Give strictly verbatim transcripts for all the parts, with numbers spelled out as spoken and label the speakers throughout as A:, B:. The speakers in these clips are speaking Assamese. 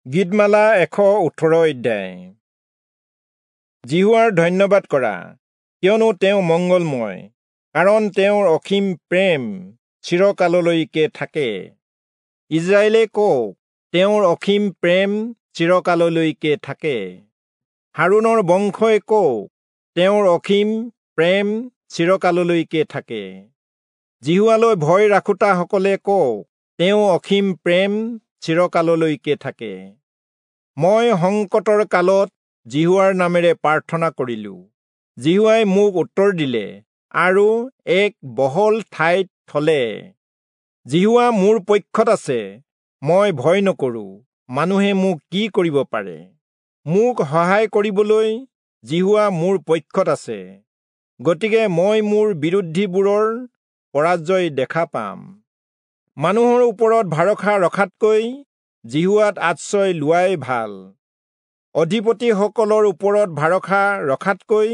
A: গীতমালা এশ ওঠৰ অধ্যায়। যিহোৱাৰ ধন্যবাদ কৰা, কিয়নো তেওঁ মংগলময়, কাৰণ তেওঁৰ অসীম প্ৰেম চিৰকাললৈকে থাকে। ইজৰাইলে কওক, তেওঁৰ অসীম প্ৰেম চিৰকাললৈকে থাকে। হাৰোণৰ বংশই কওক, তেওঁৰ অসীম প্ৰেম চিৰকাললৈকে থাকে। যিহোৱালৈ ভয় ৰাখোতাসকলে কওক, তেওঁ অসীম প্ৰেম চিৰকাললৈকে থাকে। মই সংকটৰ কালত যিহোৱাৰ নামেৰে প্ৰাৰ্থনা কৰিলো, যিহোৱাই মোক উত্তৰ দিলে আৰু এক বহল ঠাইত থলে। যিহোৱা মোৰ পক্ষত আছে, মই ভয় নকৰো, মানুহে মোক কি কৰিব পাৰে? মোক সহায় কৰিবলৈ যিহোৱা মোৰ পক্ষত আছে, গতিকে মই মোৰ বিৰোধীবোৰৰ পৰাজয় দেখা পাম। মানুহৰ ওপৰত ভৰসা ৰখাতকৈ যিহোৱাত আশ্ৰয় লোৱাই ভাল। অধিপতিসকলৰ ওপৰত ভৰসা ৰখাতকৈ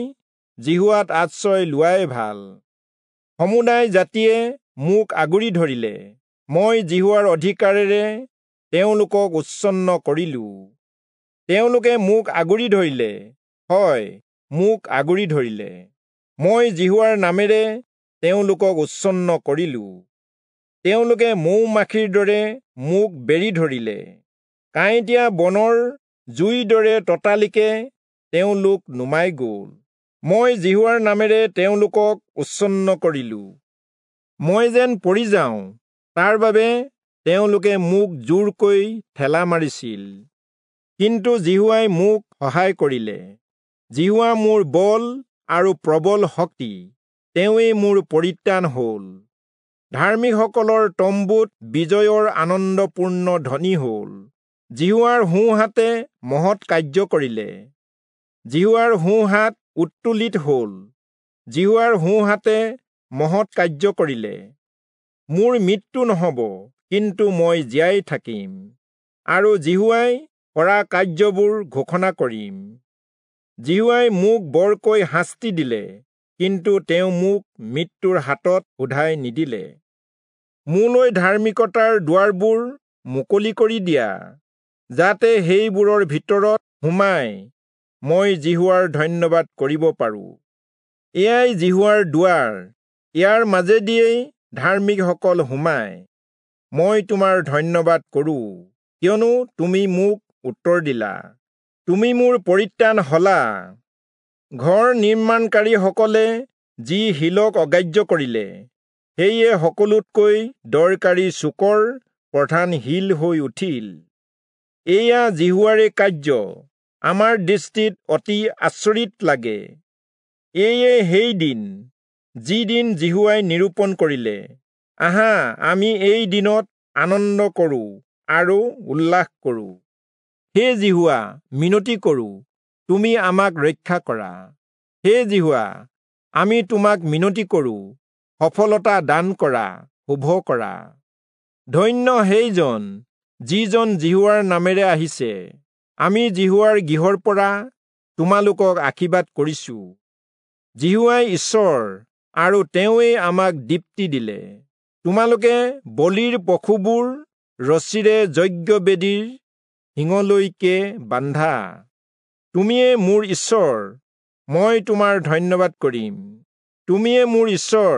A: যিহোৱাত আশ্ৰয় লোৱাই ভাল। সমুদায় জাতিয়ে মোক আগুৰি ধৰিলে, মই যিহোৱাৰ অধিকাৰেৰে তেওঁলোকক উচ্ছন্ন কৰিলো। তেওঁলোকে মোক আগুৰি ধৰিলে, হয়, মোক আগুৰি ধৰিলে, মই যিহোৱাৰ নামেৰে তেওঁলোকক উচ্ছন্ন কৰিলো। তেওঁলোকে মৌ মাখিৰ দৰে মোক বেৰি ধৰিলে, কাঁইটীয়া বনৰ জুইৰ দৰে ততালিকে তেওঁলোক নুমাই গ'ল। মই যিহোৱাৰ নামেৰে তেওঁলোকক উচ্ছন্ন কৰিলো। মই যেন পৰি যাওঁ, তাৰ বাবে তেওঁলোকে মোক জোৰকৈ ঠেলা মাৰিছিল, কিন্তু যিহোৱাই মোক সহায় কৰিলে। যিহোৱা মোৰ বল আৰু প্ৰবল শক্তি, তেওঁৱেই মোৰ পৰিত্ৰাণ হ'ল। ধাৰ্মিকসকলৰ তম্বুত বিজয়ৰ আনন্দপূৰ্ণ ধ্বনি হ'ল। যিহোৱাৰ সোঁহাতে মহৎ কাৰ্য কৰিলে, যিহোৱাৰ সোঁহাত উত্তোলিত হ'ল, যিহোৱাৰ সোঁহাতে মহৎ কাৰ্য কৰিলে। মোৰ মৃত্যু নহ'ব, কিন্তু মই জীয়াই থাকিম, আৰু যিহোৱাই কৰা কাৰ্যবোৰ ঘোষণা কৰিম। যিহোৱাই মোক বৰকৈ শাস্তি দিলে, কিন্তু তেওঁ মোক মৃত্যুৰ হাতত শোধাই নিদিলে। মোলৈ ধাৰ্মিকতাৰ দুৱাৰবোৰ মুকলি কৰি দিয়া, যাতে সেইবোৰৰ ভিতৰত সোমাই মই যিহোৱাৰ ধন্যবাদ কৰিব পাৰোঁ। এয়াই যিহোৱাৰ দুৱাৰ, ইয়াৰ মাজেদিয়েই ধাৰ্মিকসকল সোমায়। মই তোমাৰ ধন্যবাদ কৰোঁ, কিয়নো তুমি মোক উত্তৰ দিলা, তুমি মোৰ পৰিত্ৰাণ হলা। ঘৰ নিৰ্মাণকাৰীসকলে যি শিলক অগ্ৰাহ্য কৰিলে, সেয়ে সকলোতকৈ দৰকাৰী চুকৰ প্ৰধান শিল হৈ উঠিল। এয়া যিহোৱাৰে কাৰ্য, আমাৰ দৃষ্টিত অতি আচৰিত লাগে। এয়ে সেই দিন, যি দিন যিহোৱাই নিৰূপণ কৰিলে। আহা, আমি এই দিনত আনন্দ কৰোঁ আৰু উল্লাস কৰোঁ। হে যিহোৱা, মিনতি কৰোঁ, তুমি আমাক ৰক্ষা কৰা। হে যিহোৱা, আমি তোমাক মিনতি কৰোঁ, সফলতা দান কৰা, শুভ কৰা। ধন্য সেইজন, যিজন যিহোৱাৰ নামেৰে আহিছে। আমি যিহোৱাৰ গৃহৰ পৰা তোমালোকক আশীৰ্বাদ কৰিছোঁ। যিহোৱাই ঈশ্বৰ, আৰু তেওঁৱেই আমাক দীপ্তি দিলে। তোমালোকে বলিৰ পশুবোৰ ৰছীৰে যজ্ঞবেদীৰ শিঙলৈকে বান্ধা। তুমিয়ে মোৰ ঈশ্বৰ, মই তোমাৰ ধন্যবাদ কৰিম। তুমিয়ে মোৰ ঈশ্বৰ,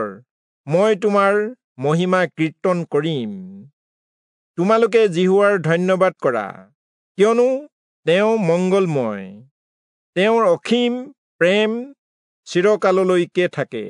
A: মই তোমাৰ মহিমা কীৰ্তন কৰিম। তোমালোকে যিহোৱাৰ ধন্যবাদ কৰা, কিয়নো তেওঁ মংগলময়, তেওঁৰ অসীম প্ৰেম চিৰকাললৈকে থাকে।